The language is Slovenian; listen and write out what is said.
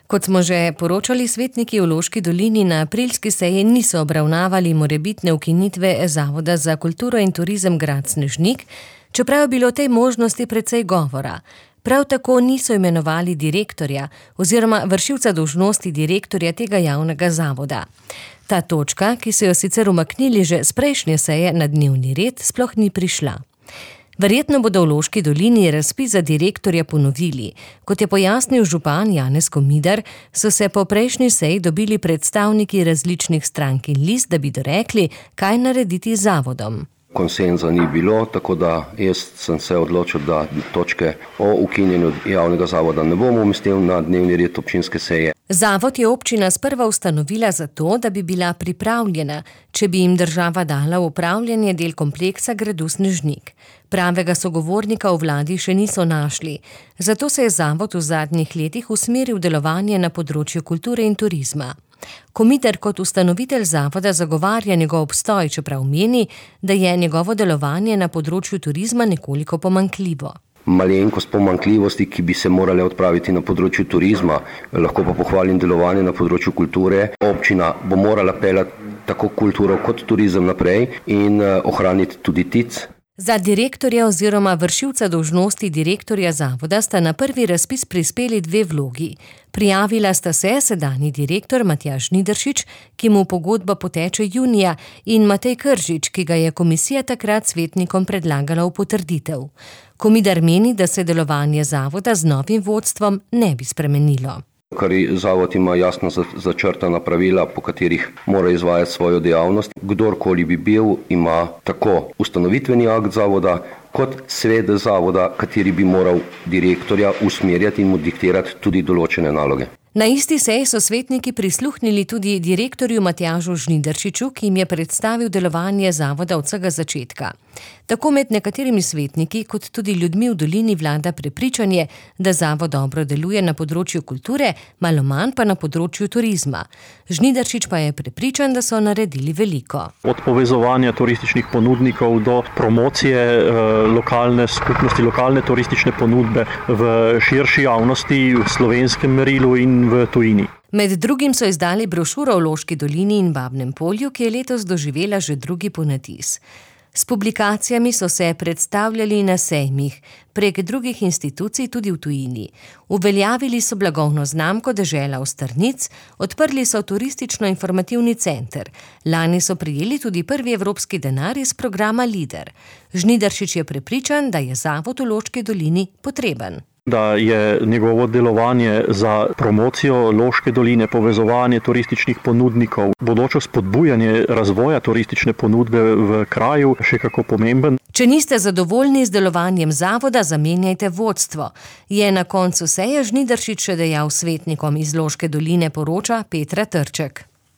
Kot smo že poročali, svetniki v Loški dolini na aprilski seji niso obravnavali morebitne ukinitve Zavoda za kulturo in turizem Grad Snežnik, čeprav je bilo o tej možnosti precej govora. Prav tako niso imenovali direktorja oziroma vršilca dolžnosti direktorja tega javnega zavoda. Ta točka, ki so jo sicer umaknili že s prejšnje seje na dnevni red, sploh ni prišla. Verjetno bodo v Loški dolini razpis za direktorja ponovili. Kot je pojasnil župan Janez Komidar, so se po prejšnji seji dobili predstavniki različnih strank in list, da bi dorekli, kaj narediti z zavodom. Konsenza ni bilo, tako da jaz sem se odločil, da točke o ukinjenju javnega zavoda ne bom umestil na dnevni red občinske seje. Zavod je občina sprva ustanovila zato, da bi bila pripravljena, če bi jim država dala v upravljanje del kompleksa gradu Snežnik. Pravega sogovornika v vladi še niso našli, zato se je zavod v zadnjih letih usmeril delovanje na področju kulture in turizma. Komidar kot ustanovitelj zavoda zagovarja njegov obstoj, čeprav meni, da je njegovo delovanje na področju turizma nekoliko pomanjkljivo. Malenkost pomanjkljivosti, ki bi se morale odpraviti na področju turizma, lahko pa pohvalim delovanje na področju kulture. Občina bo morala peljati tako kulturo kot turizem naprej in ohraniti tudi TIC. Za direktorja oziroma vršilca dolžnosti direktorja zavoda sta na prvi razpis prispeli 2 vlogi. Prijavila sta se sedanji direktor Matjaž Žnidaršič, ki mu pogodba poteče junija, in Matej Kržič, ki ga je komisija takrat svetnikom predlagala v potrditev. Komidar meni, da se delovanje zavoda z novim vodstvom ne bi spremenilo. Ker zavod ima jasno začrtana pravila, po katerih mora izvajati svojo dejavnost. Kdorkoli bi bil, ima tako ustanovitveni akt zavoda, kot svet zavoda, kateri bi moral direktorja usmerjati in mu diktirati tudi določene naloge. Na isti seji so svetniki prisluhnili tudi direktorju Matjažu Žnidaršiču, ki jim je predstavil delovanje zavoda od vsega začetka. Tako med nekaterimi svetniki, kot tudi ljudmi v dolini vlada prepričanje, da zavod dobro deluje na področju kulture, malo manj pa na področju turizma. Žnidaršič pa je prepričan, da so naredili veliko. Od povezovanja turističnih ponudnikov do promocije lokalne skupnosti, lokalne turistične ponudbe v širši javnosti, v slovenskem merilu in v tujini. Med drugim so izdali brošuro o Loški dolini in Babnem Polju, ki je letos doživela že drugi ponatis. S publikacijami so se predstavljali na sejmih, prek drugih institucij tudi v tujini. Uveljavili so blagovno znamko Dežela Ostrnic, odprli so turistično-informativni center. Lani so prejeli tudi prvi evropski denar iz programa LIDER. Žnidaršič je prepričan, da je zavod v Loški dolini potreben. Da je njegovo delovanje za promocijo Loške doline, povezovanje turističnih ponudnikov, bodoče spodbujanje razvoja turistične ponudbe v kraju še kako pomemben. Če niste zadovoljni z delovanjem zavoda, zamenjajte vodstvo. Je na koncu seje Žnidaršič še dejal svetnikom iz Loške doline, poroča Petra Trček.